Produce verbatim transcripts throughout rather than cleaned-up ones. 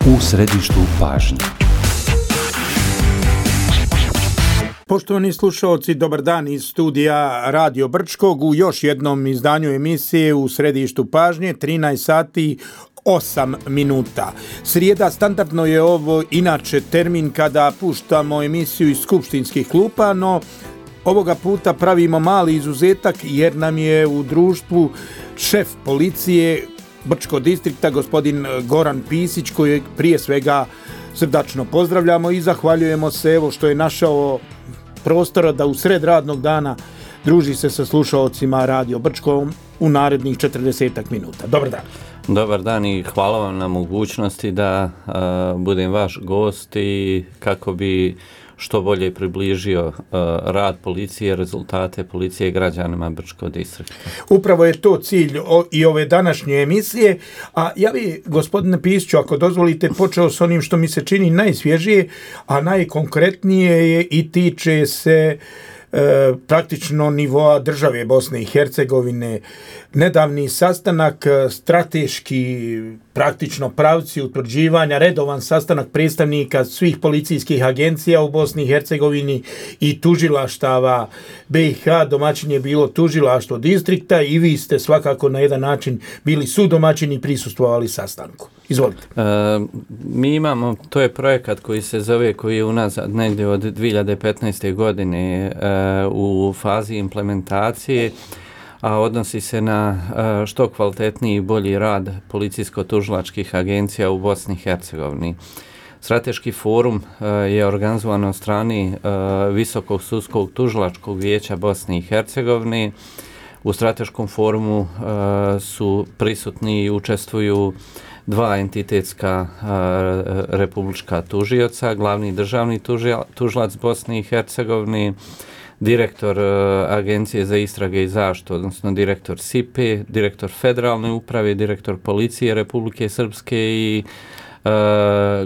U središtu pažnje. Poštovani slušalci, dobar dan iz studija Radio Brčkog u još jednom izdanju emisije U središtu pažnje, trinaest sati osam minuta. Srijeda standardno je ovo inače termin kada puštamo emisiju iz skupštinskih klupa, no ovoga puta pravimo mali izuzetak jer nam je u društvu šef policije Brčkog distrikta, gospodin Goran Pisić, koji prije svega srdačno pozdravljamo i zahvaljujemo se evo što je našao prostora da u sred radnog dana druži se sa slušalcima Radio Brčkom u narednih četrdeset minuta. Dobar dan. Dobar dan i hvala vam na mogućnosti da uh, budem vaš gost i kako bi što bolje približio uh, rad policije, rezultate policije građanima Brčkog distrikta. Upravo je to cilj o, i ove današnje emisije, a ja bi, gospodine Pisiću, ako dozvolite, počeo s onim što mi se čini najsvježije, a najkonkretnije je i tiče se e, praktično nivoa države Bosne i Hercegovine. Nedavni sastanak, strateški praktično pravci utvrđivanja, redovan sastanak predstavnika svih policijskih agencija u Bosni i Hercegovini i tužilaštava B i H. Domaćin je bilo tužilaštvo distrikta i vi ste svakako na jedan način bili sudomaćini i prisustvovali sastanku. Izvolite. E, mi imamo, to je projekat koji se zove, koji je unazad negdje od dvije hiljade petnaeste. godine e, u fazi implementacije, a odnosi se na što kvalitetniji i bolji rad policijsko-tužilačkih agencija u Bosni i Hercegovini. Strateški forum je organizovan od strane Visokog sudskog tužilačkog vijeća Bosne i Hercegovine. U strateškom forumu su prisutni i učestvuju dva entitetska republička tužioca, glavni državni tužilac Bosne i Hercegovine, direktor uh, Agencije za istrage i zaštitu, odnosno direktor S I P E, direktor Federalne uprave, direktor Policije Republike Srpske i uh,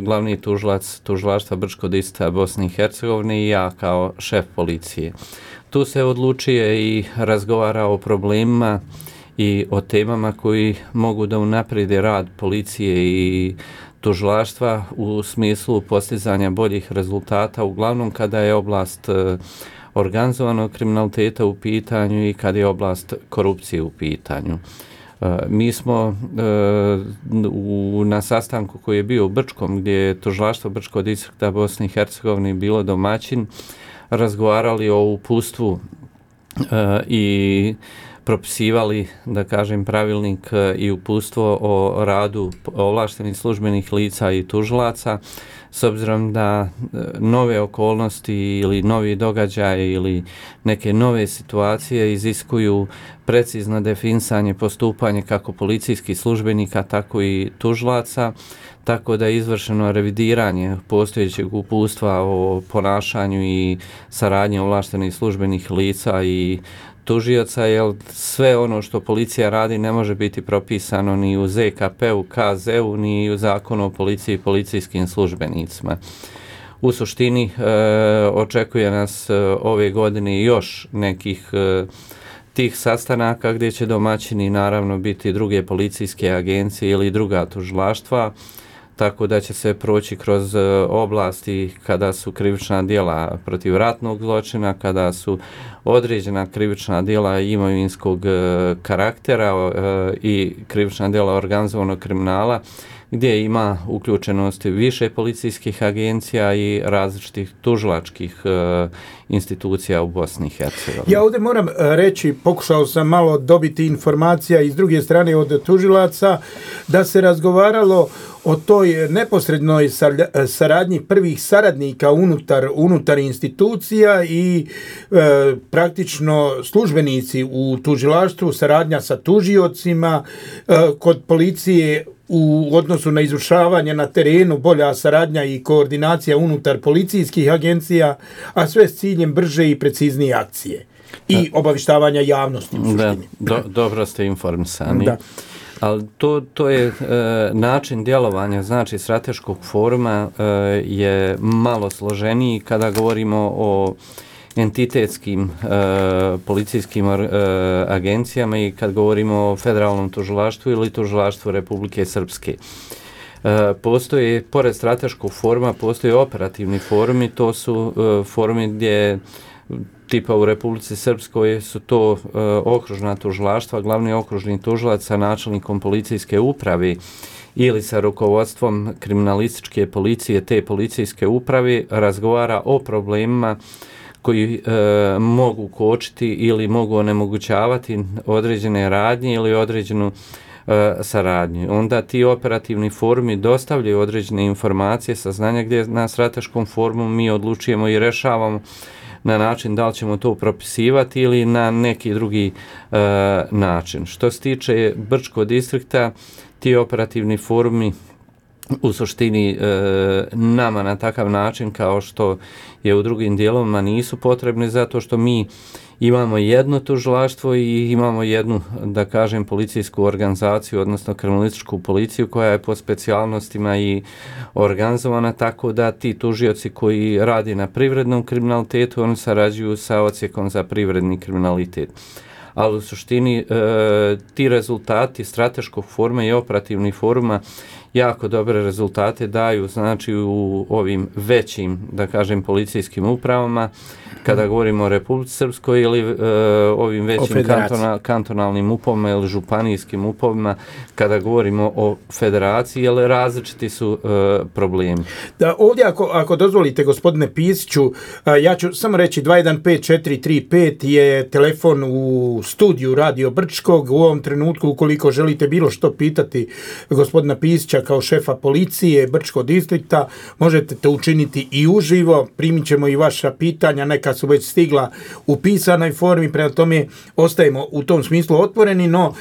glavni tužilac tužilaštva Brčkog distrikta Bosne i Hercegovine i ja kao šef policije. Tu se odlučuje i razgovara o problemima i o temama koji mogu da unaprijede rad policije i tužilaštva u smislu postizanja boljih rezultata, uglavnom kada je oblast uh, organizovanog kriminaliteta u pitanju i kad je oblast korupcije u pitanju. E, mi smo e, u, na sastanku koji je bio u Brčkom, gdje je tužilaštvo Brčkog distrikta Bosne i Hercegovine bilo domaćin, razgovarali o uputstvu e, i propisivali, da kažem, pravilnik i uputstvo o radu ovlaštenih službenih lica i tužilaca, s obzirom da nove okolnosti ili novi događaje ili neke nove situacije iziskuju precizno definisanje postupanje kako policijskih službenika, tako i tužilaca, tako da je izvršeno revidiranje postojećeg uputstva o ponašanju i saradnji ovlaštenih službenih lica i tužioca, jer sve ono što policija radi ne može biti propisano ni u Z K P-u, K Z-u, ni u Zakonu o policiji i policijskim službenicima. U suštini e, očekuje nas e, ove godine još nekih e, tih sastanaka gdje će domaćini naravno biti druge policijske agencije ili druga tužilaštva, tako da će se proći kroz oblasti kada su krivična djela protiv ratnog zločina, kada su određena krivična djela imovinskog karaktera i krivična djela organizovanog kriminala, gdje ima uključenosti više policijskih agencija i različitih tužilačkih uh, institucija u Bosni i Hercegovini. Ja ovdje moram reći, pokušao sam malo dobiti informacija iz druge strane od tužilaca, da se razgovaralo o toj neposrednoj saradnji prvih saradnika unutar, unutar institucija i e, praktično službenici u tužilaštvu, saradnja sa tužiocima, e, kod policije u odnosu na izvršavanje na terenu, bolja saradnja i koordinacija unutar policijskih agencija, a sve s ciljem brže i preciznije akcije i obavištavanja javnosti u suštini. Da, do, dobro ste informisani. Da. Ali to, to je e, način djelovanja, znači strateškog foruma e, je malo složeniji kada govorimo o entitetskim e, policijskim e, agencijama i kad govorimo o federalnom tužilaštvu ili tužilaštvu Republike Srpske. E, postoje, pored strateškog foruma, postoje operativni forumi, to su e, forumi gdje tipa u Republici Srpskoj su to e, okružna tužilaštva, glavni okružni tužilac sa načelnikom policijske uprave ili sa rukovodstvom kriminalističke policije te policijske uprave razgovara o problemima koji e, mogu kočiti ili mogu onemogućavati određene radnje ili određenu e, saradnju. Onda ti operativni forumi dostavljaju određene informacije, saznanja gdje na strateškom forumu mi odlučujemo i rešavamo na način da li ćemo to propisivati ili na neki drugi e, način. Što se tiče Brčkog distrikta, ti operativni forumi u suštini e, nama na takav način kao što je u drugim dijelovima nisu potrebni zato što mi imamo jedno tužilaštvo i imamo jednu, da kažem, policijsku organizaciju, odnosno kriminalističku policiju koja je po specijalnostima i organizovana tako da ti tužioci koji radi na privrednom kriminalitetu, oni sarađuju sa odsjekom za privredni kriminalitet. Ali u suštini e, ti rezultati strateškog foruma i operativnih foruma jako dobre rezultate daju, znači u ovim većim, da kažem, policijskim upravama, kada govorimo o Republici Srpskoj ili e, ovim većim kantona, kantonalnim upovima ili županijskim upovima, kada govorimo o federaciji, jer različiti su e, problemi. Da, ovdje ako, ako dozvolite, gospodine Pisiću, ja ću samo reći dva jedan pet četiri tri pet je telefon u studiju Radio Brčkog. U ovom trenutku, ukoliko želite bilo što pitati gospodina Pisića kao šefa policije Brčkog distrikta, možete to učiniti i uživo. Primit ćemo i vaša pitanja, neka su već stigla u pisanoj formi, prema tome ostajemo u tom smislu otvoreni, no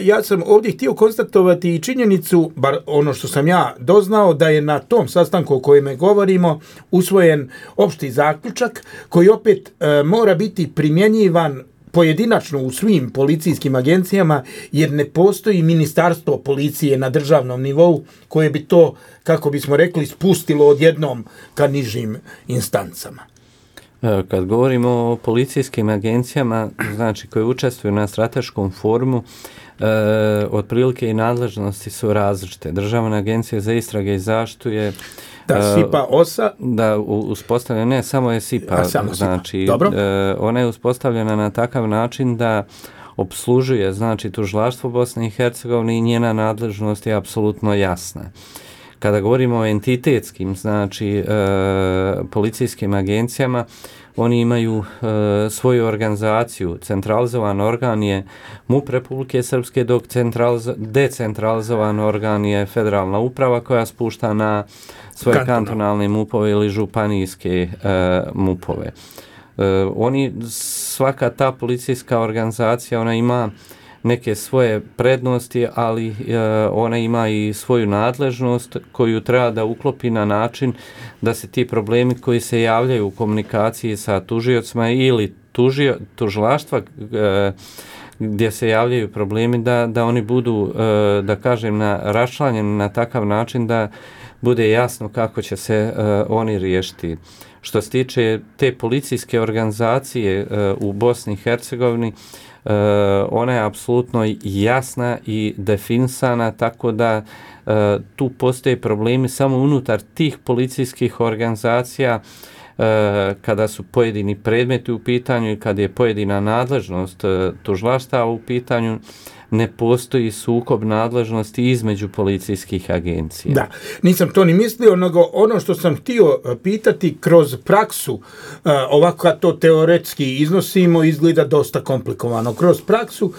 ja sam ovdje htio konstatovati i činjenicu, bar ono što sam ja doznao, da je na tom sastanku o kojem govorimo usvojen opšti zaključak koji opet e, mora biti primjenjivan pojedinačno u svim policijskim agencijama, jer ne postoji ministarstvo policije na državnom nivou koje bi to, kako bismo rekli, spustilo odjednom ka nižim instancama. Kad govorimo o policijskim agencijama, znači koje učestvuju na strateškom forumu, e, otprilike i nadležnosti su različite. Državna agencija za istrage i zaštitu je da, SIPA OSA. Da, uspostavljena, ne, samo je SIPA. Samo znači, SIPA. E, ona je uspostavljena na takav način da opslužuje, znači, tužilaštvo Bosne i Hercegovine i njena nadležnost je apsolutno jasna. Kada govorimo o entitetskim, znači, e, policijskim agencijama, oni imaju e, svoju organizaciju. Centralizovan organ je MUP Republike Srpske, dok decentralizovan organ je federalna uprava koja spušta na svoje Kantonal. kantonalne MUP-ove ili županijske e, MUP-ove. E, oni, svaka ta policijska organizacija, ona ima neke svoje prednosti, ali e, ona ima i svoju nadležnost koju treba da uklopi na način da se ti problemi koji se javljaju u komunikaciji sa tužiocima ili tužio, tužilaštva e, gdje se javljaju problemi, da, da oni budu, e, da kažem, na, raščlanjeni na takav način da bude jasno kako će se e, oni riješiti. Što se tiče te policijske organizacije e, u Bosni i Hercegovini, Uh, ona je apsolutno jasna i definisana, tako da uh, tu postoje problemi samo unutar tih policijskih organizacija uh, kada su pojedini predmeti u pitanju i kada je pojedina nadležnost uh, tužilaštva u pitanju, ne postoji sukob nadležnosti između policijskih agencija. Da, nisam to ni mislio, nego ono što sam htio pitati kroz praksu, ovako kad to teoretski iznosimo, izgleda dosta komplikovano. Kroz praksu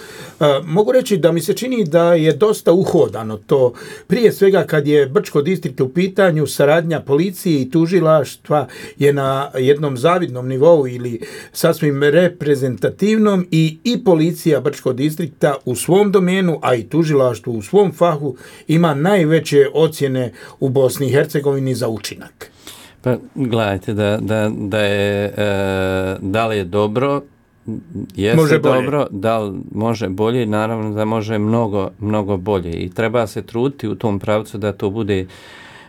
mogu reći da mi se čini da je dosta uhodano to. Prije svega kad je Brčko distrikt u pitanju, saradnja policije i tužilaštva je na jednom zavidnom nivou ili sasvim reprezentativnom i, i policija Brčko distrikta u svom domenu, a i tužilaštvo u svom fahu ima najveće ocjene u Bosni i Hercegovini za učinak. Pa gledajte, da, da, da je e, da li je dobro, jeste može dobro, da li može bolje, naravno da može mnogo, mnogo bolje i treba se truditi u tom pravcu da to bude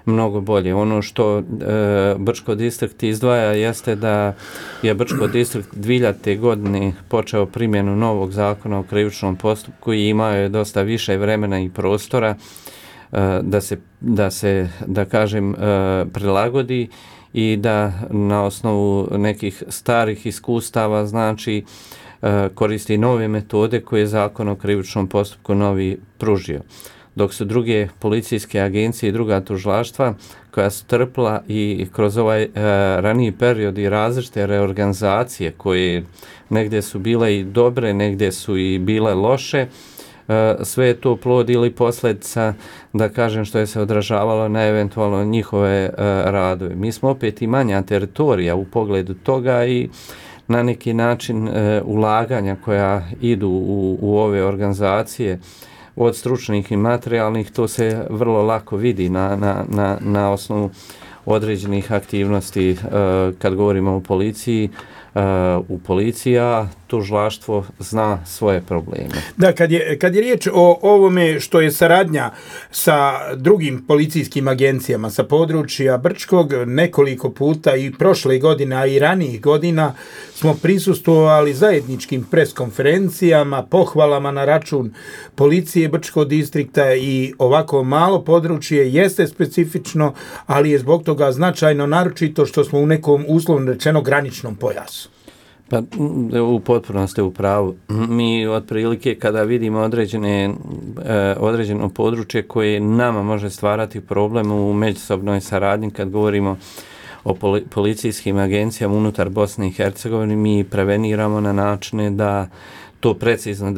mnogo bolje. Ono što e, Brčko distrikt izdvaja jeste da je Brčko distrikt dvije hiljadite godine počeo primjenu novog zakona o krivičnom postupku i imao je dosta više vremena i prostora e, da se, da se, da kažem, e, prilagodi i da na osnovu nekih starih iskustava, znači, e, koristi nove metode koje je zakon o krivičnom postupku novi pružio. Dok su druge policijske agencije i druga tužilaštva koja su trpila i kroz ovaj e, raniji period i različite reorganizacije koje negdje su bile i dobre, negdje su i bile loše, e, sve je to plod ili posljedica, da kažem, što je se odražavalo na eventualno njihove e, radove. Mi smo opet i manja teritorija u pogledu toga i na neki način e, ulaganja koja idu u, u ove organizacije od stručnih i materijalnih, to se vrlo lako vidi na, na, na, na osnovu određenih aktivnosti e, kad govorimo o policiji, e, u policiji, a tužilaštvo zna svoje probleme. Da, kad je, kad je riječ o ovome što je saradnja sa drugim policijskim agencijama sa područja Brčkog, nekoliko puta i prošle godine, a i ranijih godina smo prisustvovali zajedničkim preskonferencijama, pohvalama na račun policije Brčkog distrikta i ovako malo područje jeste specifično, ali je zbog toga značajno, naročito što smo u nekom uslovno rečeno graničnom pojasu. Pa u potpunosti u pravu. Mi otprilike kada vidimo određene, eh, određeno područje koje nama može stvarati problem u međusobnoj saradnji, kad govorimo o poli, policijskim agencijama unutar Bosne i Hercegovine, mi preveniramo na načine da to precizno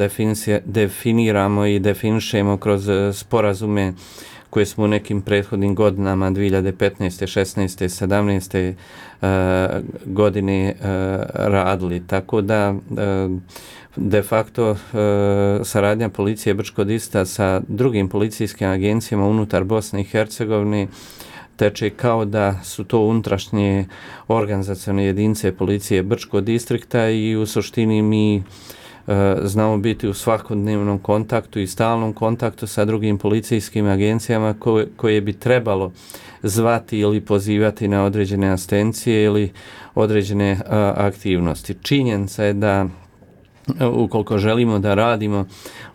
definiramo i definišemo kroz sporazume koje smo u nekim prethodnim godinama dvije hiljade petnaeste, šesnaeste, sedamnaeste uh, godine uh, radili. Tako da uh, de facto uh, saradnja policije Brčkog distrikta sa drugim policijskim agencijama unutar Bosne i Hercegovine teče kao da su to unutrašnje organizacione jedinice policije Brčkog distrikta i u suštini mi znamo biti u svakodnevnom kontaktu i stalnom kontaktu sa drugim policijskim agencijama koje, koje bi trebalo zvati ili pozivati na određene asistencije ili određene a, aktivnosti. Činjenica je da ukoliko želimo da radimo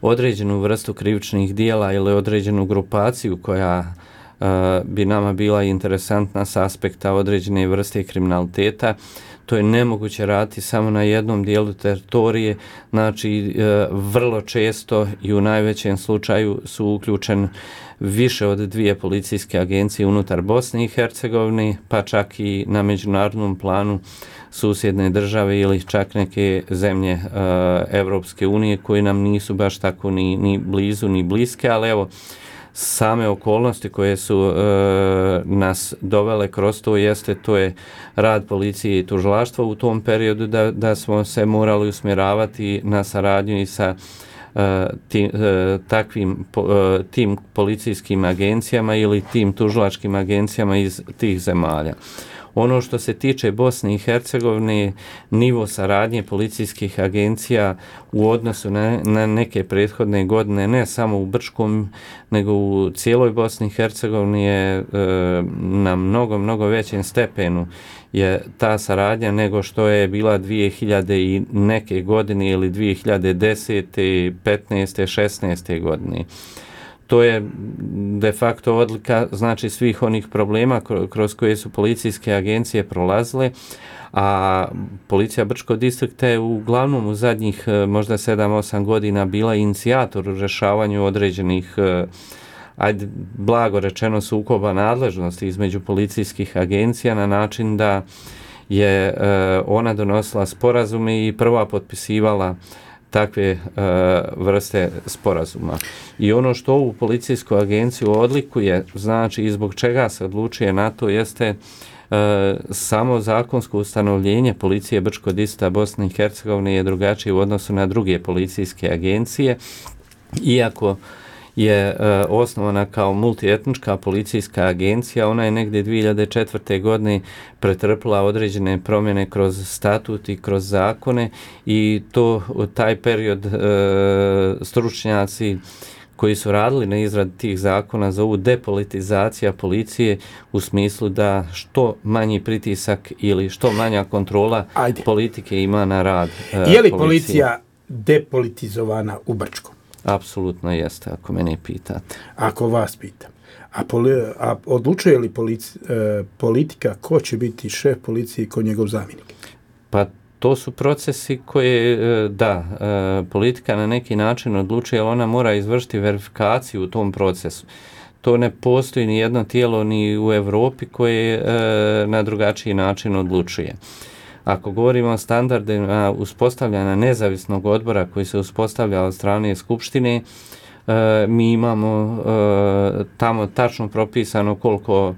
određenu vrstu krivičnih dijela ili određenu grupaciju koja a, bi nama bila interesantna s aspekta određene vrste kriminaliteta, to je nemoguće raditi samo na jednom dijelu teritorije, znači e, vrlo često i u najvećem slučaju su uključen više od dvije policijske agencije unutar Bosne i Hercegovine, pa čak i na međunarodnom planu susjedne države ili čak neke zemlje e, Evropske unije koje nam nisu baš tako ni, ni blizu ni bliske, ali evo, same okolnosti koje su e, nas dovele kroz to jeste, to je rad policije i tužilaštva u tom periodu da, da smo se morali usmjeravati na saradnju i sa e, tim, e, takvim po, e, tim policijskim agencijama ili tim tužilačkim agencijama iz tih zemalja. Ono što se tiče Bosne i Hercegovine, nivo saradnje policijskih agencija u odnosu na, na neke prethodne godine, ne samo u Brčkom, nego u cijeloj Bosni i Hercegovini je e, na mnogo, mnogo većem stepenu je ta saradnja nego što je bila dvije hiljade i neke godine ili dvije hiljade desete, petnaeste, šesnaeste godine. To je de facto odlika, znači, svih onih problema kroz koje su policijske agencije prolazile, a policija Brčkog distrikta je uglavnom u zadnjih možda sedam osam godina bila inicijator u rješavanju određenih, ajde, blago rečeno, sukoba nadležnosti između policijskih agencija na način da je ona donosila sporazume i prva potpisivala takve uh, vrste sporazuma. I ono što ovu policijsku agenciju odlikuje, znači i zbog čega se odlučuje na to, jeste uh, samo zakonsko ustanovljenje policije Brčkog distrikta Bosne i Hercegovine je drugačije u odnosu na druge policijske agencije, iako je uh, osnovana kao multietnička policijska agencija, ona je negdje dvije hiljade četvrte. godine pretrpila određene promjene kroz statut i kroz zakone i to u taj period uh, stručnjaci koji su radili na izradi tih zakona zovu depolitizacija policije u smislu da što manji pritisak ili što manja kontrola Ajde. politike ima na rad uh, Je li policije. policija depolitizovana u Brčkom? Apsolutno jeste, ako mene pitate. Ako vas pitam. A, poli, a odlučuje li polici, e, politika ko će biti šef policije i ko njegov zamjenik? Pa to su procesi koje, da, politika na neki način odlučuje, ali ona mora izvršiti verifikaciju u tom procesu. To ne postoji ni jedno tijelo ni u Europi koje na drugačiji način odlučuje. Ako govorimo o standardima uspostavljanja nezavisnog odbora koji se uspostavlja od strane Skupštine, mi imamo tamo tačno propisano koliko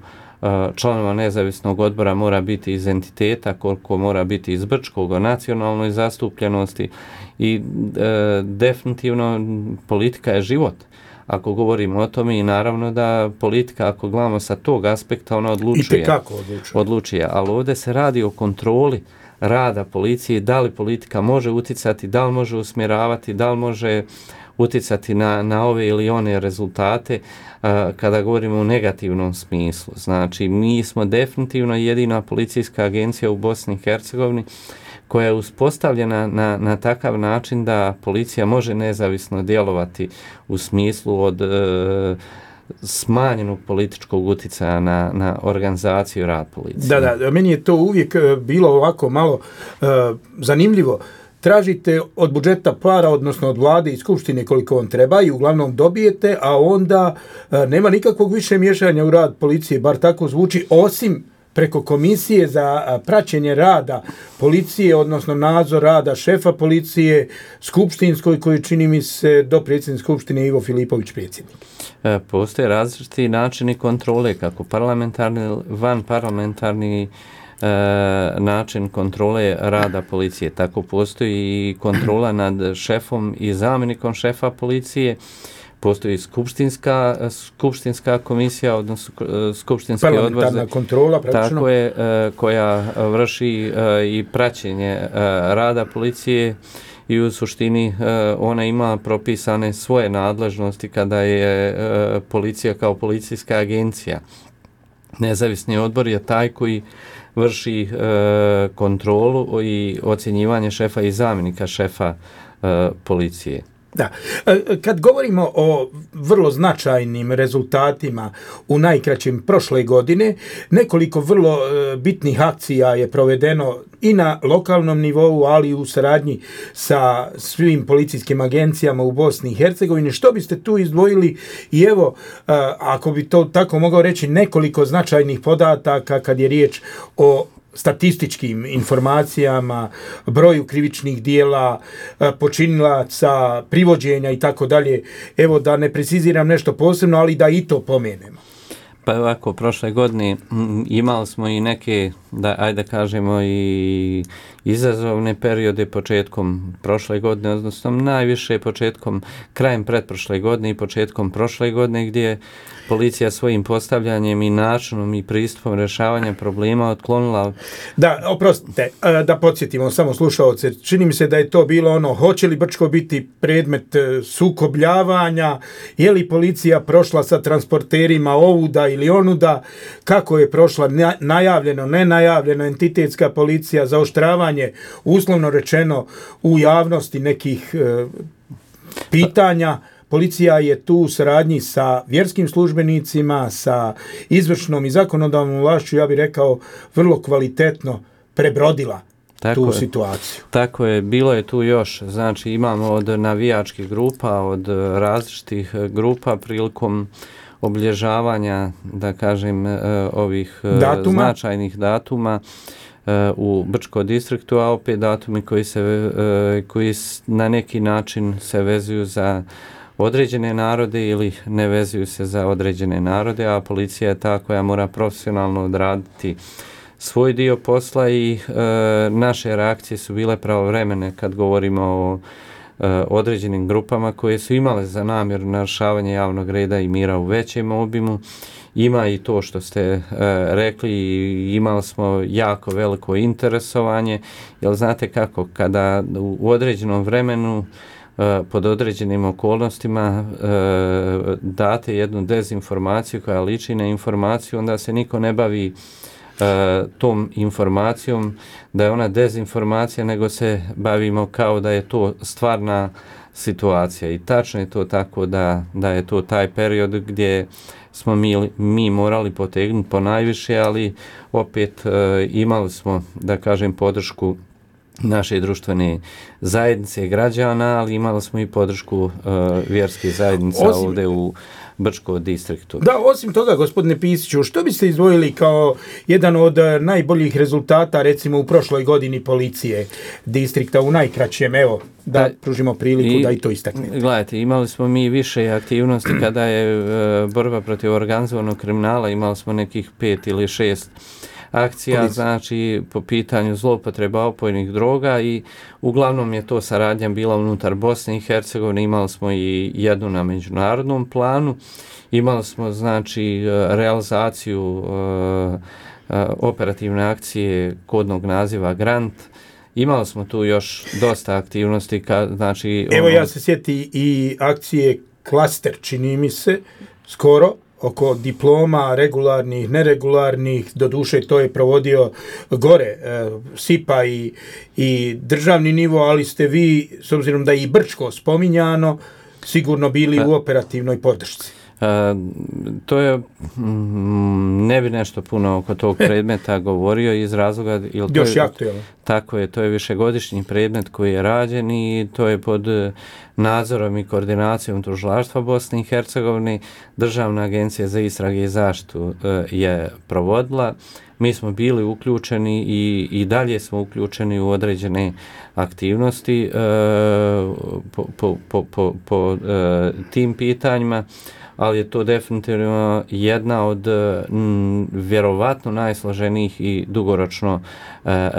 članova nezavisnog odbora mora biti iz entiteta, koliko mora biti iz Brčkog, o nacionalnoj zastupljenosti i e, definitivno politika je život. Ako govorimo o tome i naravno da politika, ako gledamo sa tog aspekta, ona odlučuje. I tekako odlučuje. Odlučuje, ali ovdje se radi o kontroli rada policije, da li politika može uticati, da li može usmjeravati, da li može uticati na, na ove ili one rezultate uh, kada govorimo u negativnom smislu. Znači, mi smo definitivno jedina policijska agencija u Bosni i Hercegovini koja je uspostavljena na, na takav način da policija može nezavisno djelovati u smislu od uh, smanjenog političkog uticaja na, na organizaciju rad policije. Da, da, meni je to uvijek bilo ovako malo uh, zanimljivo. Tražite od budžeta para, odnosno od vlade i skupštine koliko vam treba i uglavnom dobijete, a onda e, nema nikakvog više miješanja u rad policije, bar tako zvuči, osim preko komisije za praćenje rada policije, odnosno nadzor rada šefa policije, skupštinskoj, koji čini mi se do predsjednik skupštine Ivo Filipović predsjednik. E, postoje različiti načini kontrole, kako parlamentarni, van parlamentarni E, način kontrole rada policije. Tako postoji i kontrola nad šefom i zamjenikom šefa policije. Postoji skupštinska, skupštinska komisija, odnosno skupštinski odbor. Parlamentarna kontrola, praktično. Tako je, e, koja vrši e, i praćenje e, rada policije i u suštini e, ona ima propisane svoje nadležnosti kada je e, policija kao policijska agencija. Nezavisni odbor je taj koji vrši e, kontrolu i ocjenjivanje šefa i zamjenika šefa e, policije. Da. Kad govorimo o vrlo značajnim rezultatima u najkraćem prošle godine, nekoliko vrlo bitnih akcija je provedeno i na lokalnom nivou, ali i u saradnji sa svim policijskim agencijama u Bosni i Hercegovini. Što biste tu izdvojili? I evo, ako bi to tako mogao reći, nekoliko značajnih podataka kad je riječ o statističkim informacijama, broju krivičnih dijela, počinilaca, privođenja i tako dalje. Evo, da ne preciziram nešto posebno, ali da i to pomenemo. Pa ovako, prošle godine imali smo i neke, da, ajde kažemo, i izazovne periode početkom prošle godine, odnosno najviše početkom, krajem pretprošle godine i početkom prošle godine, gdje je policija svojim postavljanjem i načinom i pristupom rješavanja problema otklonila... Da, oprostite, da podsjetimo samo slušalce, čini mi se da je to bilo ono, hoće li Brčko biti predmet sukobljavanja, je li policija prošla sa transporterima ovuda ili onuda, kako je prošla najavljeno, nenajavljeno, entitetska policija, zaoštravanje, uslovno rečeno, u javnosti nekih e, pitanja. Policija je tu u saradnji sa vjerskim službenicima, sa izvršnom i zakonodavnom vlašću, ja bih rekao, vrlo kvalitetno prebrodila tako tu je, situaciju. Tako je, bilo je tu još, znači imamo od navijačkih grupa, od različitih grupa prilikom obilježavanja, da kažem, ovih datuma. značajnih datuma u Brčkom distriktu, a opet datumi koji, se, koji na neki način se vezuju za određene narode ili ne vezuju se za određene narode, a policija je ta koja mora profesionalno odraditi svoj dio posla i e, naše reakcije su bile pravovremene kad govorimo o e, određenim grupama koje su imale za namjeru narušavanje javnog reda i mira u većem obimu. Ima i to što ste e, rekli, imali smo jako veliko interesovanje, jer znate kako, kada u određenom vremenu pod određenim okolnostima date jednu dezinformaciju koja liči na informaciju, onda se niko ne bavi tom informacijom da je ona dezinformacija, nego se bavimo kao da je to stvarna situacija. I tačno je to tako da, da je to taj period gdje smo mi, mi morali potegnuti po najviše, ali opet e, imali smo, da kažem, podršku naše društvene zajednice građana, ali imali smo i podršku e, vjerskih zajednica osim, ovdje u Brčko distriktu. Da, osim toga, gospodine Pisiću, što biste izdvojili kao jedan od najboljih rezultata, recimo, u prošloj godini policije distrikta, u najkraćem, evo, da, da pružimo priliku i, da i to istaknete. Gledajte, imali smo mi više aktivnosti kada je e, borba protiv organizovanog kriminala, imali smo nekih pet ili šest akcija, Polic. znači po pitanju zloupotreba opojnih droga i uglavnom je to saradnja bila unutar Bosne i Hercegovine, imali smo i jednu na međunarodnom planu, imali smo znači realizaciju uh, uh, operativne akcije kodnog naziva Grant, imali smo tu još dosta aktivnosti, ka, znači... Evo ono... ja se sjeti i akcije Klaster, čini mi se, skoro, oko diploma, regularnih, neregularnih, doduše to je provodio gore, e, SIPA i, i državni nivo, ali ste vi, s obzirom da je i Brčko spominjano, sigurno bili u operativnoj podršci. E, to je, mm, ne bi nešto puno oko tog predmeta govorio iz razloga... Još jako je. Tako je, to je višegodišnji predmet koji je rađen i to je pod nadzorom i koordinacijom tužilaštva Bosne i Hercegovine. Državna agencija za istrage i zaštitu e, je provodila. Mi smo bili uključeni i, i dalje smo uključeni u određene aktivnosti e, po, po, po, po, po e, tim pitanjima, ali je to definitivno jedna od m, vjerovatno najsloženijih i dugoročno e, e,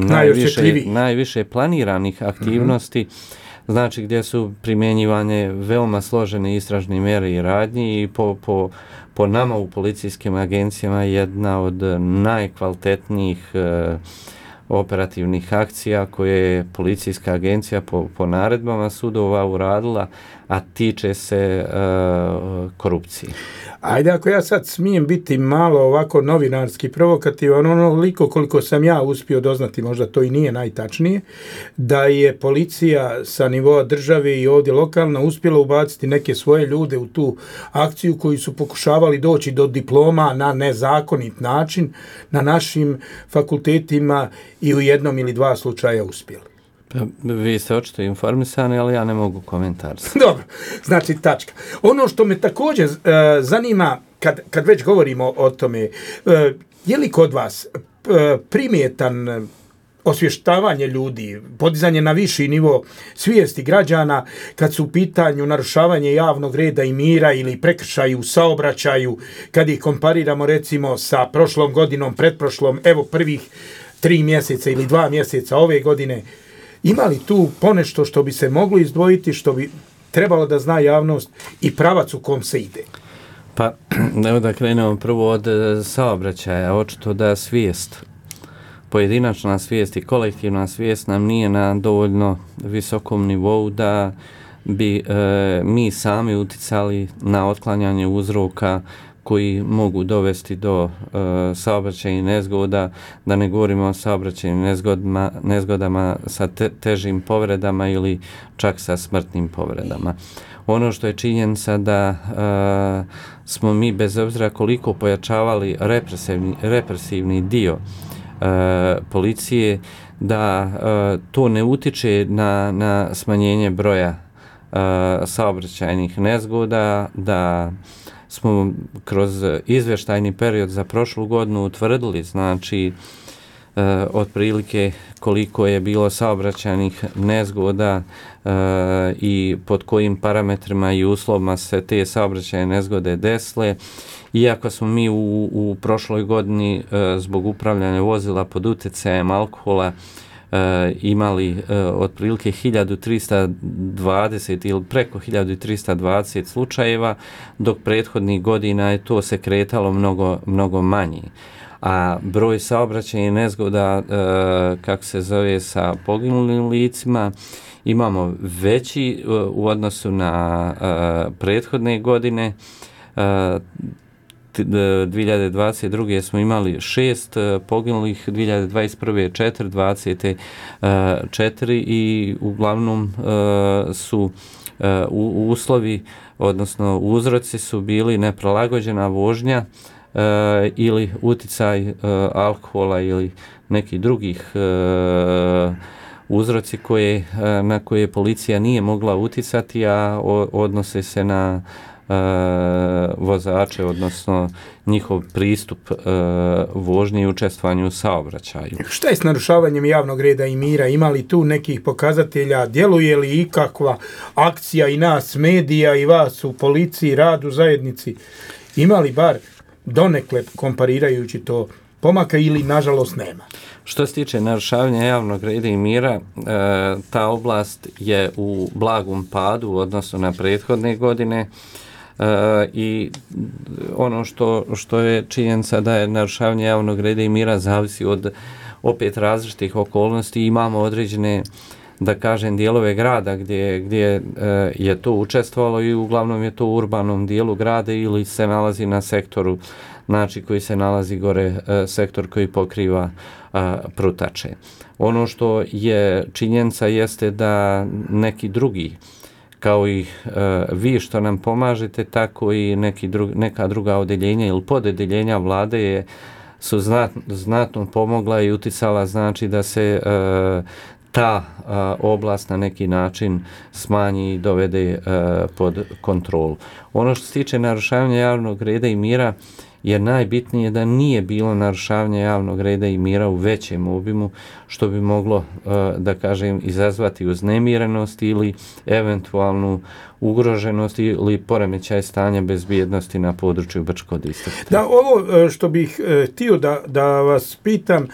najviše, najviše planiranih aktivnosti, mm-hmm. znači gdje su primjenjivane veoma složene istražne mjere i radnje i po, po, po nama u policijskim agencijama jedna od najkvalitetnijih e, operativnih akcija koje je policijska agencija po, po naredbama sudova uradila, a tiče se uh, korupcije. Ajde, ako ja sad smijem biti malo ovako novinarski provokativan, onoliko koliko sam ja uspio doznati, možda to i nije najtačnije, da je policija sa nivoa države i ovdje lokalna uspjela ubaciti neke svoje ljude u tu akciju koji su pokušavali doći do diploma na nezakonit način na našim fakultetima i u jednom ili dva slučaja uspjeli. Vi ste očito informisani, ali ja ne mogu komentariti. Dobro, znači tačka. Ono što me također uh, zanima, kad, kad već govorimo o tome, uh, je li kod vas uh, primjetan osvještavanje ljudi, podizanje na viši nivo svijesti građana kad su u pitanju narušavanje javnog reda i mira ili prekršaju u saobraćaju, kad ih kompariramo recimo sa prošlom godinom, pretprošlom, evo prvih tri mjeseca ili dva mjeseca ove godine, ima li tu ponešto što bi se moglo izdvojiti, što bi trebalo da zna javnost i pravac u kom se ide? Pa, evo da krenemo prvo od saobraćaja. Očito da svijest, pojedinačna svijest i kolektivna svijest nam nije na dovoljno visokom nivou da bi e, mi sami uticali na otklanjanje uzroka koji mogu dovesti do uh, saobraćajnih nezgoda, da ne govorimo o saobraćajnim nezgodama, nezgodama sa te, težim povredama ili čak sa smrtnim povredama. Ono što je činjenica da uh, smo mi bez obzira koliko pojačavali represivni, represivni dio uh, policije, da uh, to ne utiče na, na smanjenje broja uh, saobraćajnih nezgoda, da smo kroz izvještajni period za prošlu godinu utvrdili, znači, e, otprilike koliko je bilo saobraćajnih nezgoda e, i pod kojim parametrima i uslovima se te saobraćajne nezgode desile. Iako smo mi u, u prošloj godini e, zbog upravljanja vozila pod utjecajem alkohola e, imali e, otprilike hiljadu trista dvadeset ili preko hiljadu trista dvadeset slučajeva, dok prethodnih godina je to se kretalo mnogo, mnogo manji. A broj saobraćajnih nezgoda, e, kako se zove, sa poginulim licima, imamo veći e, u odnosu na e, prethodne godine. E, dvije hiljade dvadeset druge smo imali šest poginulih, dvije hiljade dvadeset prve četiri, dvadesete četiri i uglavnom su uslovi, odnosno uzroci su bili neprilagođena vožnja ili uticaj alkohola ili nekih drugih uzroci koje, na koje policija nije mogla uticati, a odnose se na Uh, vozače, odnosno njihov pristup uh, vožnji i učestvovanju u saobraćaju. Šta je s narušavanjem javnog reda i mira? Ima li tu nekih pokazatelja? Djeluje li ikakva akcija i nas, medija i vas u policiji, radu, zajednici? Ima li bar donekle, komparirajući to, pomaka ili nažalost nema? Što se tiče narušavanja javnog reda i mira, uh, ta oblast je u blagom padu, odnosno na prethodne godine. Uh, i ono što, što je činjenica da je narušavanje javnog reda i mira zavisi od opet različitih okolnosti. Imamo određene, da kažem, dijelove grada gdje, gdje uh, je to učestvovalo i uglavnom je to u urbanom dijelu grada ili se nalazi na sektoru, znači koji se nalazi gore, uh, sektor koji pokriva uh, Prutače. Ono što je činjenica jeste da neki drugi, kao i e, vi što nam pomažete, tako i neki dru, neka druga odeljenja ili podedeljenja vlade je, su znat, znatno pomogla i uticala, znači da se e, ta e, oblast na neki način smanji i dovede e, pod kontrolu. Ono što se tiče narušavanja javnog reda i mira, je najbitnije da nije bilo narušavanja javnog reda i mira u većem obimu, što bi moglo, da kažem, izazvati uznemirenost ili eventualnu ugroženost ili poremećaj stanja bezbjednosti na području Brčkog distrikta. Da, ovo što bih htio da, da vas pitam,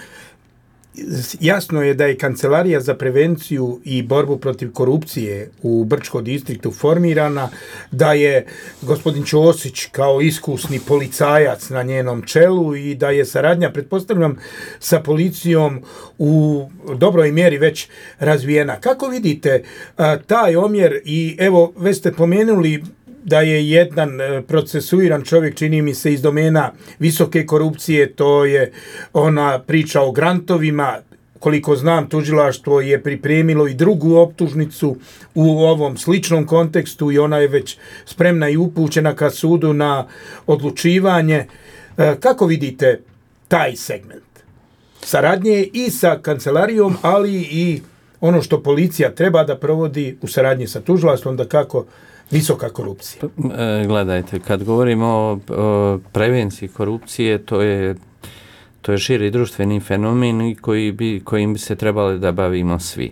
jasno je da je Kancelarija za prevenciju i borbu protiv korupcije u Brčkom distriktu formirana, da je gospodin Ćosić kao iskusni policajac na njenom čelu i da je saradnja, pretpostavljam, sa policijom u dobroj mjeri već razvijena. Kako vidite a, taj omjer i evo, već ste pomenuli da je jedan procesuiran čovjek, čini mi se, iz domena visoke korupcije, to je ona priča o grantovima. Koliko znam, tužilaštvo je pripremilo i drugu optužnicu u ovom sličnom kontekstu i ona je već spremna i upućena ka sudu na odlučivanje. Kako vidite taj segment saradnje i sa kancelarijom, ali i ono što policija treba da provodi u saradnji sa tužilaštvom, da kako visoka korupcija? Gledajte, kad govorimo o, o prevenciji korupcije, to je, to je širi društveni fenomen koji bi, kojim bi se trebali da bavimo svi.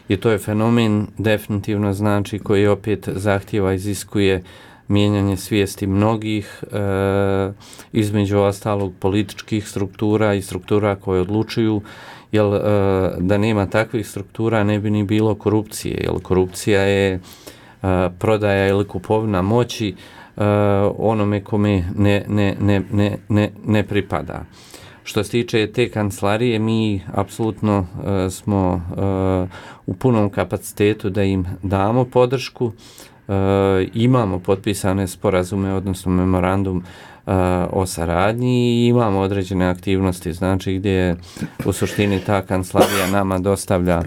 I to je fenomen definitivno, znači, koji opet zahtjeva, iziskuje mijenjanje svijesti mnogih, e, između ostalog političkih struktura i struktura koje odlučuju, jer e, da nema takvih struktura ne bi ni bilo korupcije, jer korupcija je Uh, prodaja ili kupovina moći uh, onome kome ne, ne, ne, ne, ne, ne pripada. Što se tiče te kancelarije, mi apsolutno uh, smo uh, u punom kapacitetu da im damo podršku. Uh, imamo potpisane sporazume, odnosno memorandum uh, o saradnji i imamo određene aktivnosti, znači gdje u suštini ta kancelarija nama dostavlja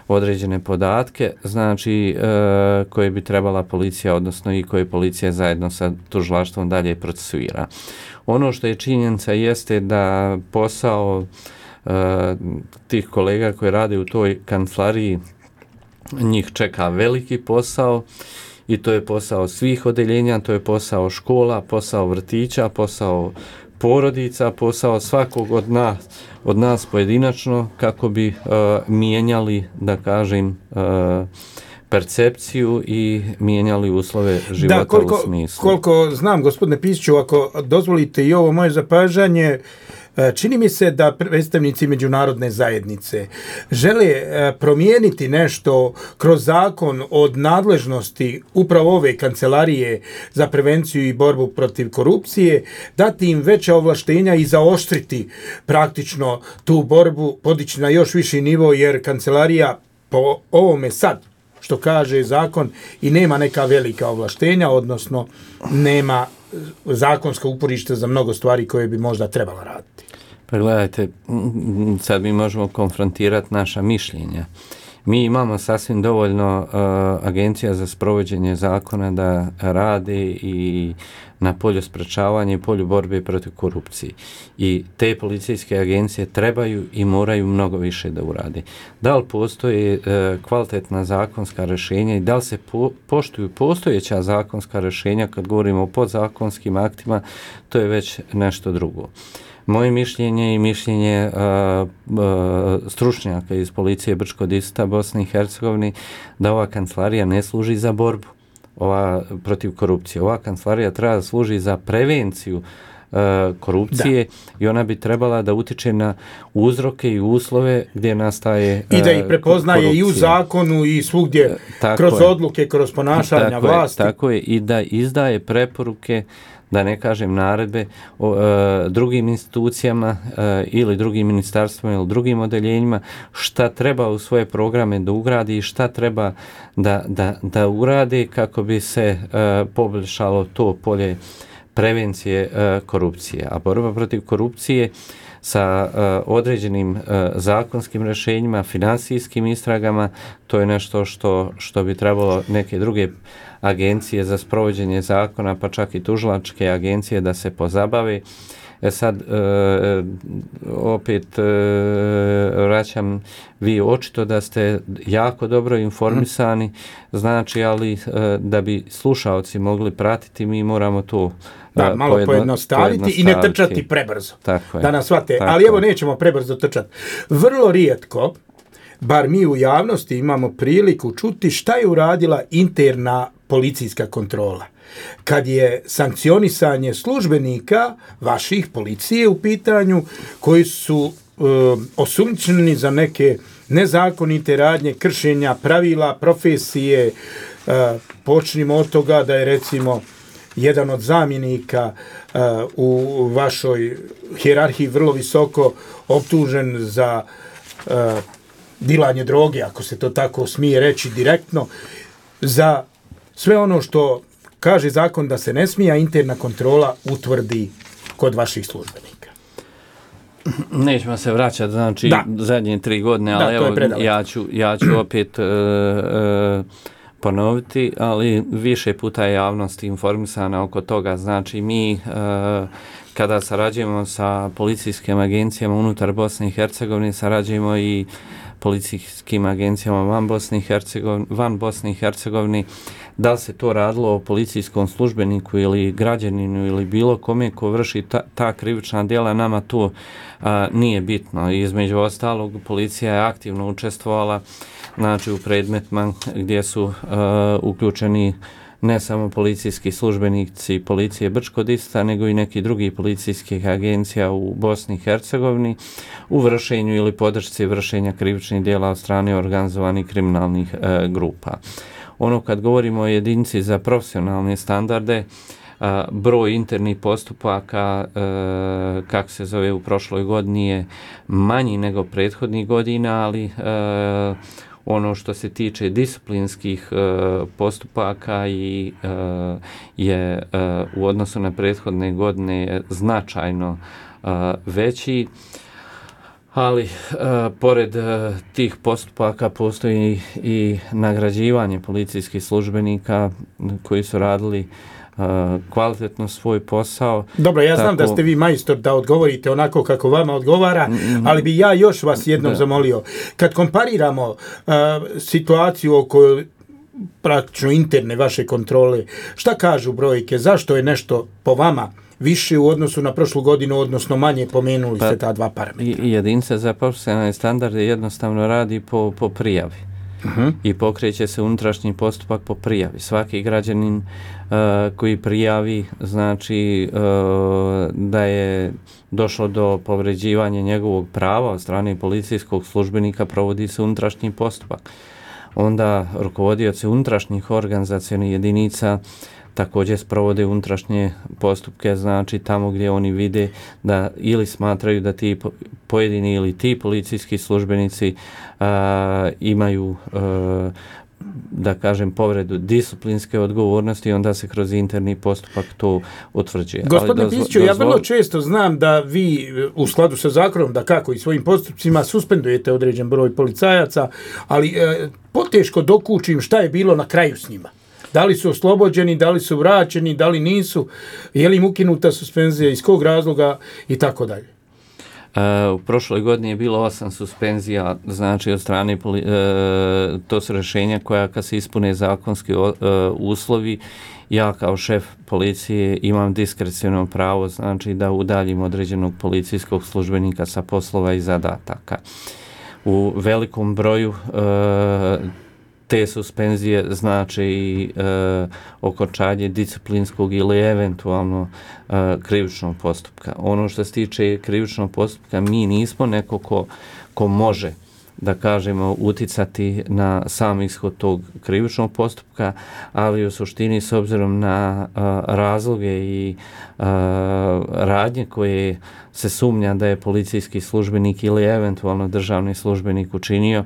određene podatke, znači e, koje bi trebala policija, odnosno i koje policija zajedno sa tužilaštvom dalje procesuira. Ono što je činjenica jeste da posao e, tih kolega koji rade u toj kancelariji, njih čeka veliki posao i to je posao svih odeljenja, to je posao škola, posao vrtića, posao porodica, posao svakog od nas, od nas pojedinačno, kako bi uh, mijenjali, da kažem, uh, percepciju i mijenjali uslove života da, koliko, u smislu. Koliko znam, gospodine Pišiću, ako dozvolite i ovo moje zapažanje, čini mi se da predstavnici međunarodne zajednice žele promijeniti nešto kroz zakon od nadležnosti upravo ove kancelarije za prevenciju i borbu protiv korupcije, dati im veća ovlaštenja i zaoštriti praktično tu borbu, podići na još viši nivo, jer kancelarija po ovome sad, što kaže zakon, i nema neka velika ovlaštenja, odnosno nema zakonska uporišta za mnogo stvari koje bi možda trebala raditi. Pa gledajte, sad mi možemo konfrontirati naša mišljenja. Mi imamo sasvim dovoljno uh, agencija za sprovođenje zakona da rade i na polju sprečavanja i polju borbe protiv korupcije. I te policijske agencije trebaju i moraju mnogo više da urade. Da li postoje uh, kvalitetna zakonska rješenja i da li se po, poštuju postojeća zakonska rješenja kad govorimo o podzakonskim aktima, to je već nešto drugo. Moje mišljenje i mišljenje uh, uh, stručnjaka iz policije Brčko-Dista, Bosne i Hercegovine, da ova kancelarija ne služi za borbu ova, protiv korupcije. Ova kancelarija treba da služi za prevenciju uh, korupcije, da. I ona bi trebala da utiče na uzroke i uslove gdje nastaje uh, i da ih prepoznaje korupcije. I u zakonu i svugdje, tako kroz je. Odluke, kroz ponašanja tako vlasti. Je, tako je, i da izdaje preporuke, da ne kažem naredbe o e, drugim institucijama e, ili drugim ministarstvima ili drugim odeljenjima, šta treba u svoje programe da ugradi i šta treba da, da, da uradi kako bi se e, poboljšalo to polje prevencije e, korupcije. A borba protiv korupcije sa uh, određenim uh, zakonskim rješenjima, financijskim istragama, to je nešto što, što bi trebalo neke druge agencije za sprovođenje zakona, pa čak i tužilačke agencije da se pozabave. E sad, uh, opet uh, vraćam, vi očito da ste jako dobro informisani, znači, ali uh, da bi slušaoci mogli pratiti, mi moramo to Da, malo pojedno, pojednostaviti i ne trčati prebrzo. Tako je, da nas shvate. tako Ali evo, nećemo prebrzo trčati. Vrlo rijetko, bar mi u javnosti imamo priliku čuti šta je uradila interna policijska kontrola. Kad je sankcionisanje službenika vaših policije u pitanju, koji su e, osumnjičeni za neke nezakonite radnje, kršenja pravila, profesije, e, počnimo od toga da je, recimo, jedan od zamjenika uh, u vašoj hijerarhiji vrlo visoko optužen za uh, dilanje droge, ako se to tako smije reći direktno, za sve ono što kaže zakon da se ne smije, a interna kontrola utvrdi kod vaših službenika. Nećemo se vraćati, znači, da. zadnje tri godine, ali da, evo, ja ću, ja ću opet uh, uh, ponoviti, ali više puta je javnost informisana oko toga. Znači, mi e, kada sarađujemo sa policijskim agencijama unutar Bosne i Hercegovine, sarađujemo i policijskim agencijama van Bosne i Hercegovine, van Bosne i Hercegovine, da li se to radilo o policijskom službeniku ili građaninu ili bilo kome ko vrši ta, ta krivična djela, nama to a, nije bitno. Između ostalog, policija je aktivno učestvovala, znači, u predmetima gdje su uh, uključeni ne samo policijski službenici policije Brčko-Dista, nego i neki drugi policijskih agencija u Bosni i Hercegovini u vršenju ili podršci vršenja krivičnih djela od strane organizovanih kriminalnih uh, grupa. Ono, kad govorimo o jedinici za profesionalne standarde, uh, broj internih postupaka, uh, kako se zove, u prošloj godini je manji nego prethodnih godina, ali uh, ono što se tiče disciplinskih uh, postupaka i uh, je uh, u odnosu na prethodne godine značajno uh, veći, ali uh, pored uh, tih postupaka postoji i nagrađivanje policijskih službenika koji su radili Uh, kvalitetno svoj posao. Dobro, ja tako... znam da ste vi majstor da odgovorite onako kako vama odgovara, mm-hmm. ali bi ja još vas jednom da. zamolio. Kad kompariramo uh, situaciju oko praktično interne vaše kontrole, šta kažu brojke? Zašto je nešto po vama više u odnosu na prošlu godinu, odnosno manje, pomenuli pa, ste ta dva parametra? Jedinca za profesionalne standarde jednostavno radi po, po prijavi. uh-huh. i pokreće se unutrašnji postupak po prijavi. Svaki građanin uh, koji prijavi, znači uh, da je došlo do povređivanja njegovog prava od strane policijskog službenika, provodi se unutrašnji postupak. Onda rukovodioci unutrašnjih organizacionih jedinica također sprovode unutrašnje postupke, znači tamo gdje oni vide da ili smatraju da ti pojedini ili ti policijski službenici a, imaju a, da kažem povredu disciplinske odgovornosti, onda se kroz interni postupak to utvrđuje. Gospodine Pisiću, dozvo... ja vrlo često znam da vi u skladu sa zakonom, da kako i svojim postupcima suspendujete određen broj policajaca, ali e, poteško dokučim šta je bilo na kraju s njima. Da li su oslobođeni, da li su vraćeni, da li nisu, je li im ukinuta suspenzija, iz kog razloga i tako dalje. Uh, u prošloj godini je bilo osam suspenzija, znači od strane, poli, uh, to su rješenja koja kad se ispune zakonski uh, uslovi, ja kao šef policije imam diskreciono pravo, znači da udaljim određenog policijskog službenika sa poslova i zadataka. U velikom broju uh, te suspenzije znači i e, okončanje disciplinskog ili eventualno e, krivičnog postupka. Ono što se tiče krivičnog postupka, mi nismo neko ko, ko može, da kažemo, uticati na sam ishod tog krivičnog postupka, ali u suštini s obzirom na a, razloge i a, radnje koje se sumnja da je policijski službenik ili eventualno državni službenik učinio,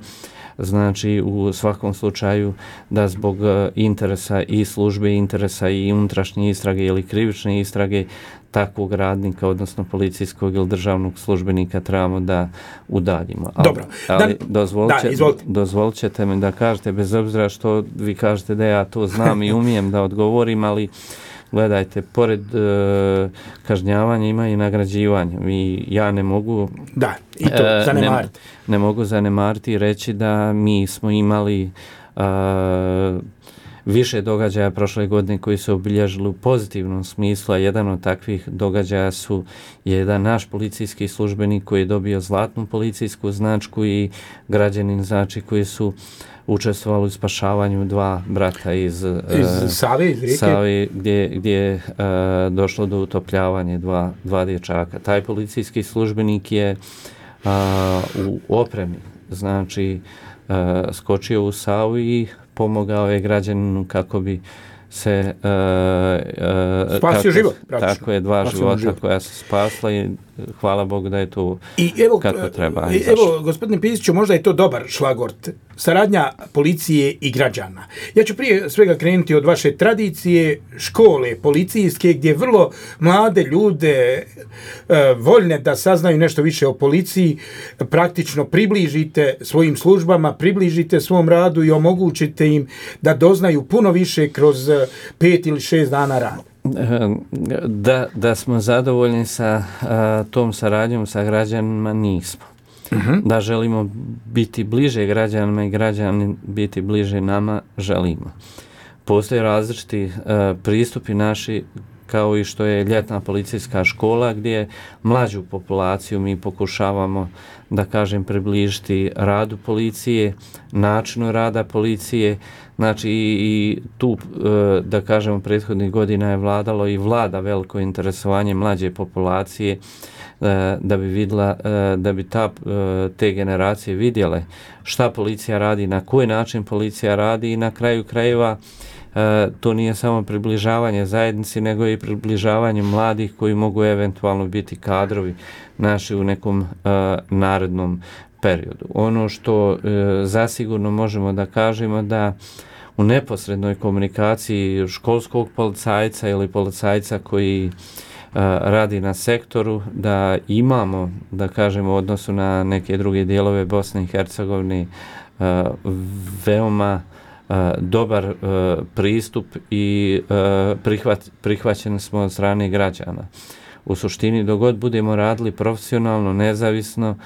znači u svakom slučaju da zbog interesa i službe, interesa i unutrašnje istrage ili krivične istrage takvog radnika, odnosno policijskog ili državnog službenika trebamo da udaljimo. Ali, Dobro. Ali da, dozvolite, da, dozvolit ćete mi da kažete, bez obzira što vi kažete da ja to znam i umijem da odgovorim, ali gledajte, pored e, kažnjavanja ima i nagrađivanje. I ja ne mogu da, i to e, zanemariti. Ne, ne mogu zanemariti i reći da mi smo imali e, više događaja prošle godine koji su obilježili u pozitivnom smislu, a jedan od takvih događaja su jedan naš policijski službenik koji je dobio zlatnu policijsku značku i građanin, znači, koji su učestvovali u spašavanju dva brata iz, iz uh, Save, iz rijeke, Save, gdje, gdje je uh, došlo do utopljavanja dva, dva dječaka. Taj policijski službenik je uh, u opremi, znači uh, skočio u Savu i pomogao je građaninu kako bi se uh, uh, spasio život, praktično. Tako je, dva spasio života život. Koja se spasla i hvala Bogu da je to I evo, kako treba. I evo, gospodine Pisiću, možda je to dobar šlagort. Saradnja policije i građana. Ja ću prije svega krenuti od vaše tradicije, škole policijske, gdje vrlo mlade ljude e, voljne da saznaju nešto više o policiji, praktično približite svojim službama, približite svom radu i omogućite im da doznaju puno više kroz pet ili šest dana rada. Da, da smo zadovoljni sa a, tom saradnjom sa građanima, nismo. Uh-huh. Da želimo biti bliže građanima i građani biti bliže nama, želimo. Postoje različiti a, pristupi naši, kao i što je ljetna policijska škola, gdje mlađu populaciju mi pokušavamo, da kažem, približiti radu policije, načinu rada policije. Znači i, i tu, da kažemo, prethodnih godina je vladalo i vlada veliko interesovanje mlađe populacije, da bi vidjela, da bi ta, te generacije vidjele šta policija radi, na koji način policija radi i na kraju krajeva to nije samo približavanje zajednici, nego i približavanje mladih koji mogu eventualno biti kadrovi naši u nekom uh, narednom periodu. Ono što uh, zasigurno možemo da kažemo da u neposrednoj komunikaciji školskog policajca ili policajca koji uh, radi na sektoru, da imamo, da kažemo, u odnosu na neke druge dijelove Bosne i Hercegovine uh, veoma Uh, dobar uh, pristup i uh, prihvat, prihvaćeni smo od strane građana. u suštini dok god budemo radili profesionalno, nezavisno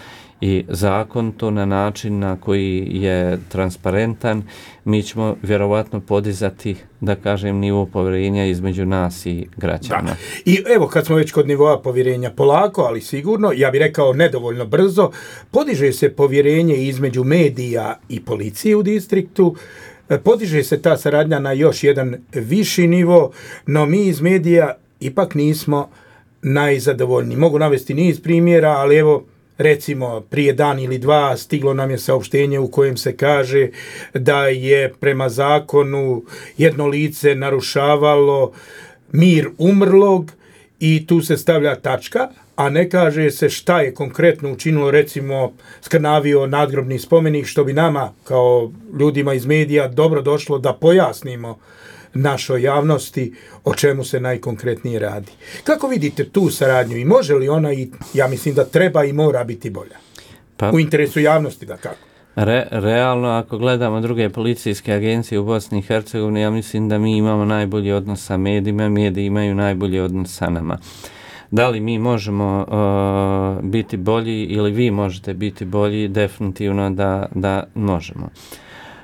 i zakonito na način na koji je transparentan, mi ćemo vjerovatno podizati, da kažem, nivo povjerenja između nas i građana. Da. I evo, kad smo već kod nivoa povjerenja, polako, ali sigurno, ja bih rekao nedovoljno brzo, podiže se povjerenje između medija i policije u distriktu, podiže se ta saradnja na još jedan viši nivo, no mi iz medija ipak nismo najzadovoljniji. Mogu navesti niz primjera, ali evo, recimo, prije dan ili dva stiglo nam je saopštenje u kojem se kaže da je prema zakonu jedno lice narušavalo mir umrlog i tu se stavlja tačka, a ne kaže se šta je konkretno učinilo, recimo skrnavio nadgrobni spomenik, što bi nama kao ljudima iz medija dobro došlo da pojasnimo našoj javnosti o čemu se najkonkretnije radi. Kako vidite tu saradnju i može li ona, i ja mislim da treba i mora biti bolja? Pa, u interesu javnosti, da kako? Re, realno, ako gledamo druge policijske agencije u Bosni i Hercegovini, ja mislim da mi imamo najbolji odnos sa medijima, mediji imaju najbolji odnos sa nama. Da li mi možemo uh, biti bolji ili vi možete biti bolji, definitivno da, da možemo.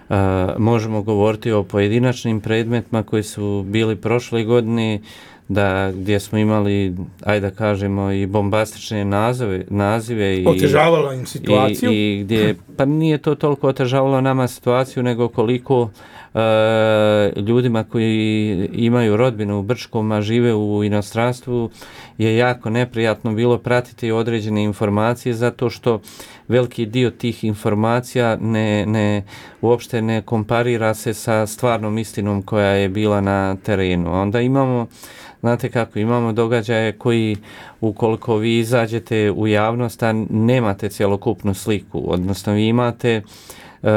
Uh, možemo govoriti o pojedinačnim predmetima koji su bili prošle godine, da gdje smo imali, ajde da kažemo, i bombastične nazove, nazive i otežavalo im situaciju i, i gdje, pa nije to toliko otežavalo nama situaciju, nego koliko uh, ljudima koji imaju rodbinu u Brčkom, a žive u inostranstvu, je jako neprijatno bilo pratiti određene informacije, zato što veliki dio tih informacija ne, ne, uopšte ne komparira se sa stvarnom istinom koja je bila na terenu. Onda imamo, znate kako, imamo događaje koji, ukoliko vi izađete u javnost, a nemate cjelokupnu sliku, odnosno vi imate uh,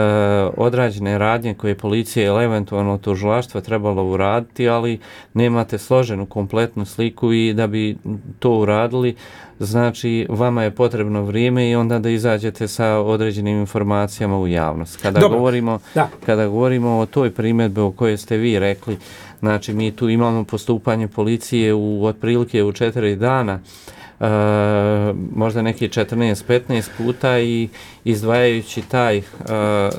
odrađene radnje koje policija ili eventualno tužilaštvo trebalo uraditi, ali nemate složenu kompletnu sliku i da bi to uradili, znači vama je potrebno vrijeme i onda da izađete sa određenim informacijama u javnost. Kada Dobro. govorimo Da. kada govorimo o toj primjedbi o kojoj ste vi rekli, znači mi tu imamo postupanje policije u otprilike u četiri dana, Uh, možda neki četrnaest petnaest puta, i izdvajajući taj uh,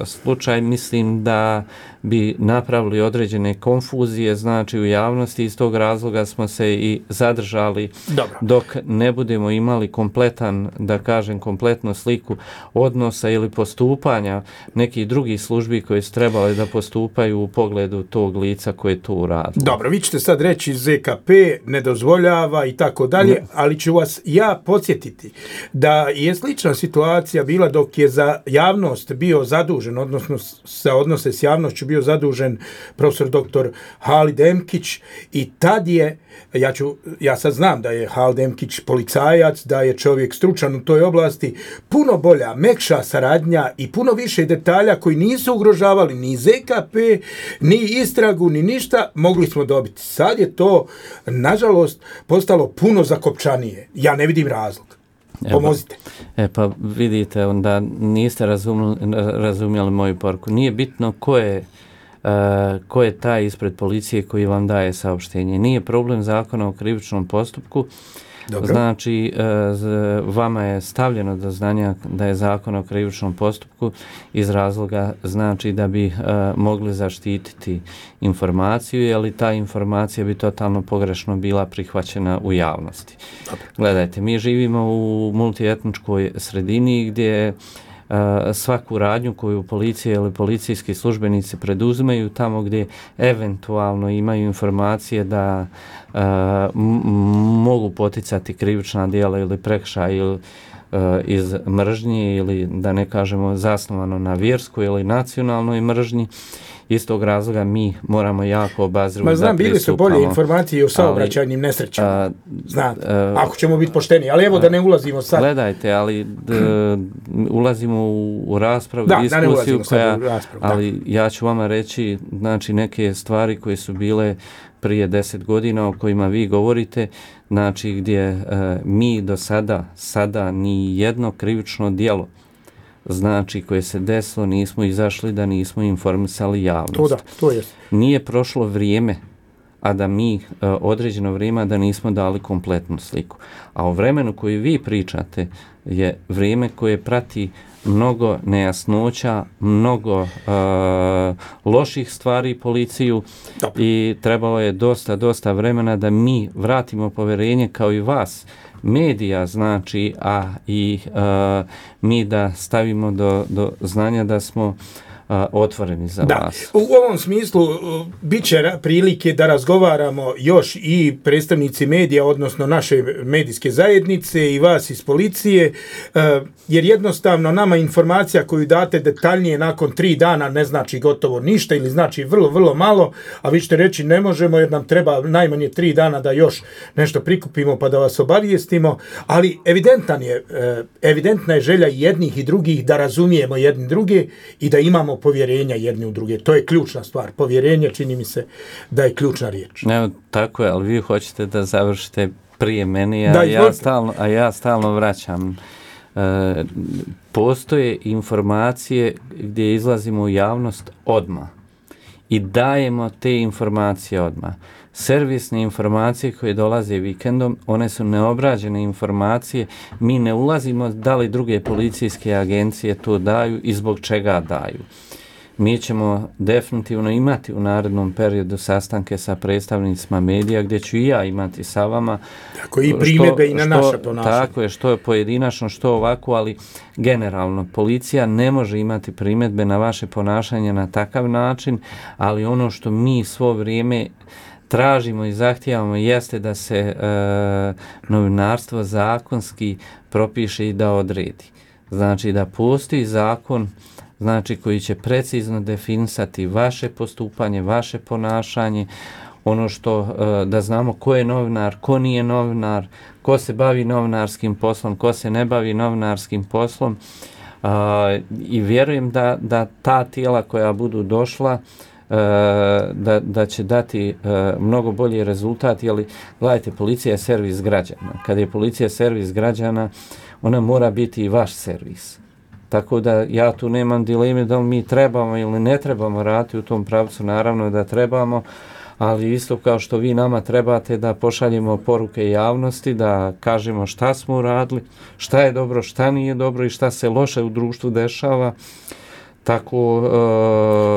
slučaj mislim da bi napravili određene konfuzije, znači u javnosti. Iz tog razloga smo se i zadržali. Dobro. Dok ne budemo imali kompletan, da kažem, kompletnu sliku odnosa ili postupanja nekih drugih službi koje su trebali da postupaju u pogledu tog lica koje to uradilo. Dobro, vi ćete sad reći Z K P ne dozvoljava i tako dalje, ali ću vas ja podsjetiti da je slična situacija bila dok je za javnost bio zadužen, odnosno sa odnose s javnošću bio zadužen profesor doktor Halid Emkić, i tad je, ja, ću, ja sad znam da je Halid Emkić policajac, da je čovjek stručan u toj oblasti, puno bolja, mekša saradnja i puno više detalja koji nisu ugrožavali ni Z K P, ni istragu, ni ništa, mogli smo dobiti. Sad je to, nažalost, postalo puno zakopčanije. Ja ne vidim razlog. Pomozite. E pa, e pa vidite, onda niste razumjeli, razumjeli moju poruku. Nije bitno ko je, uh, ko je taj ispred policije koji vam daje saopštenje. Nije problem zakona o krivičnom postupku. Dobro. Znači, uh, vama je stavljeno do znanja da je zakon o krivičnom postupku iz razloga, znači da bi uh, mogli zaštititi informaciju, jer ta informacija bi totalno pogrešno bila prihvaćena u javnosti. Dobro. Gledajte, mi živimo u multietničkoj sredini gdje uh, svaku radnju koju policija ili policijski službenici preduzimaju tamo gdje eventualno imaju informacije da uh, m- mogu poticati krivična djela ili prekršaj ili uh, iz mržnje, ili da ne kažemo zasnovano na vjerskoj ili nacionalnoj mržnji. Iz tog razloga mi moramo jako obazrivo da pristupamo. Ma znam, bili su bolje informacije o saobraćajnim nesrećama. Znate, ako ćemo biti pošteni. Ali evo a, da ne ulazimo sad. Gledajte, ali d, ulazimo u, u raspravu, da, diskusiju da koja, raspravu, ali da. Ja ću vama reći, znači, neke stvari koje su bile prije deset godina o kojima vi govorite, znači gdje e, mi do sada, sada ni jedno krivično djelo, znači koje se desilo, nismo izašli da nismo informisali javnost. To da, to je. Nije prošlo vrijeme a da mi uh, određeno vrijeme da nismo dali kompletnu sliku. A u vremenu koji vi pričate je vrijeme koje prati mnogo nejasnoća, mnogo uh, loših stvari policiju. Dobre. I trebalo je dosta, dosta vremena da mi vratimo povjerenje kao i vas, medija znači, a i uh, mi da stavimo do, do znanja da smo a, otvoreni za da. vas. U ovom smislu bit će prilike da razgovaramo još i predstavnici medija, odnosno naše medijske zajednice i vas iz policije, jer jednostavno nama informacija koju date detaljnije nakon tri dana ne znači gotovo ništa ili znači vrlo, vrlo malo, a vi ćete reći ne možemo jer nam treba najmanje tri dana da još nešto prikupimo pa da vas obavijestimo, ali evidentan je, evidentna je želja jednih i drugih da razumijemo jedni druge i da imamo povjerenja jedni u druge. To je ključna stvar. Povjerenje čini mi se da je ključna riječ. Evo, tako je, ali vi hoćete da završite prije meni, a, da, ja, stalno, a ja stalno vraćam. E, postoje informacije gdje izlazimo u javnost odmah i dajemo te informacije odmah. Servisne informacije koje dolaze vikendom, one su neobrađene informacije, mi ne ulazimo da li druge policijske agencije to daju i zbog čega daju. Mi ćemo definitivno imati u narednom periodu sastanke sa predstavnicima medija gdje ću i ja imati sa vama. Tako i primjedbe i na što, naše ponašanje. Tako je, što je pojedinačno, što ovako, ali generalno policija ne može imati primjedbe na vaše ponašanje na takav način, ali ono što mi svo vrijeme tražimo i zahtijevamo jeste da se e, novinarstvo zakonski propiše i da odredi. Znači da postoji zakon, znači koji će precizno definisati vaše postupanje, vaše ponašanje, ono što e, da znamo ko je novinar, ko nije novinar, ko se bavi novinarskim poslom, ko se ne bavi novinarskim poslom. E, I vjerujem da, da ta tijela koja budu došla Da, da će dati uh, mnogo bolji rezultat, jer gledajte, policija je servis građana. Kad je policija servis građana, ona mora biti i vaš servis. Tako da ja tu nemam dileme da li mi trebamo ili ne trebamo raditi u tom pravcu, naravno da trebamo, ali isto kao što vi nama trebate da pošaljemo poruke javnosti, da kažemo šta smo uradili, šta je dobro, šta nije dobro i šta se loše u društvu dešava. Tako,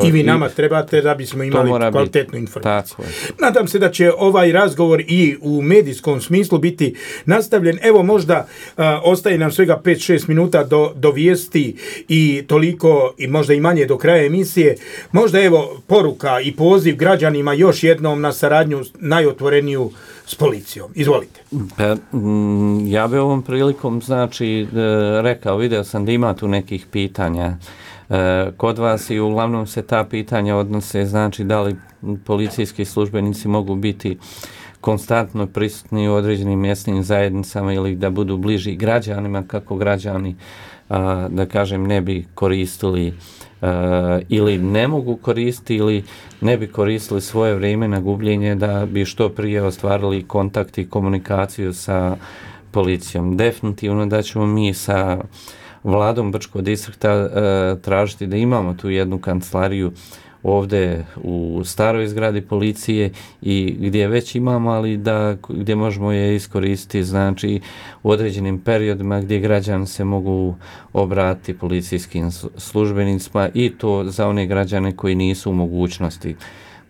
uh, I vi nama i, trebate da bismo imali kvalitetnu informaciju. Tako je. Nadam se da će ovaj razgovor i u medijskom smislu biti nastavljen. Evo možda uh, ostaje nam svega pet šest minuta do, do vijesti i toliko i možda i manje do kraja emisije. Možda evo poruka i poziv građanima još jednom na saradnju najotvoreniju s policijom. Izvolite. Pa, m, ja bi ovom prilikom znači rekao, video sam da ima tu nekih pitanja kod vas i uglavnom se ta pitanja odnose, znači da li policijski službenici mogu biti konstantno prisutni u određenim mjesnim zajednicama ili da budu bliži građanima, kako građani, da kažem, ne bi koristili ili ne mogu koristiti ili ne bi koristili svoje vrijeme na gubljenje da bi što prije ostvarili kontakt i komunikaciju sa policijom. Definitivno da ćemo mi sa Vladom Brčkog distrikta e, tražiti da imamo tu jednu kancelariju ovdje u staroj zgradi policije i gdje već imamo, ali da gdje možemo je iskoristiti, znači u određenim periodima gdje građani se mogu obratiti policijskim službenicima i to za one građane koji nisu u mogućnosti.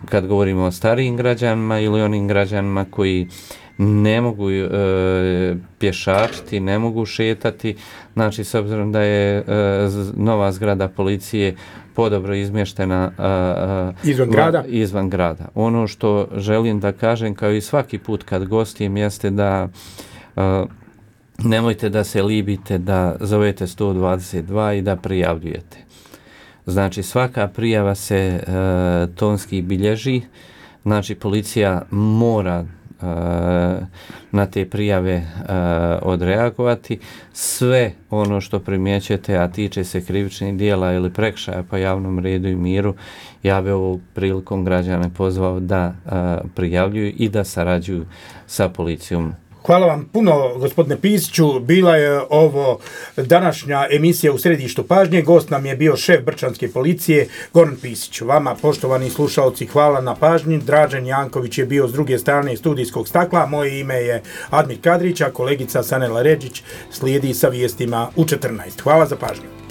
Kad govorimo o starijim građanima ili onim građanima koji ne mogu e, pješačiti, ne mogu šetati, znači s obzirom da je e, nova zgrada policije podobro izmještena e, izvan, grada. izvan grada. Ono što želim da kažem, kao i svaki put kad gostijem, jeste da e, nemojte da se libite da zovete sto dvadeset dva i da prijavljujete. Znači svaka prijava se e, tonski bilježi, znači policija mora na te prijave uh, odreagovati. Sve ono što primjećete, a tiče se krivičnih dijela ili prekršaja po javnom redu i miru, ja bi ovom prilikom građane pozvao da uh, prijavljuju i da sarađuju sa policijom Hvala vam puno, gospodine Pisiću. Bila je ovo današnja emisija u središtu pažnje. Gost nam je bio šef Brčanske policije, Goran Pisić. Vama, poštovani slušalci, hvala na pažnji. Dražen Janković je bio s druge strane studijskog stakla. Moje ime je Admir Kadrić, a kolegica Sanela Redžić slijedi sa vijestima u četrnaest. Hvala za pažnju.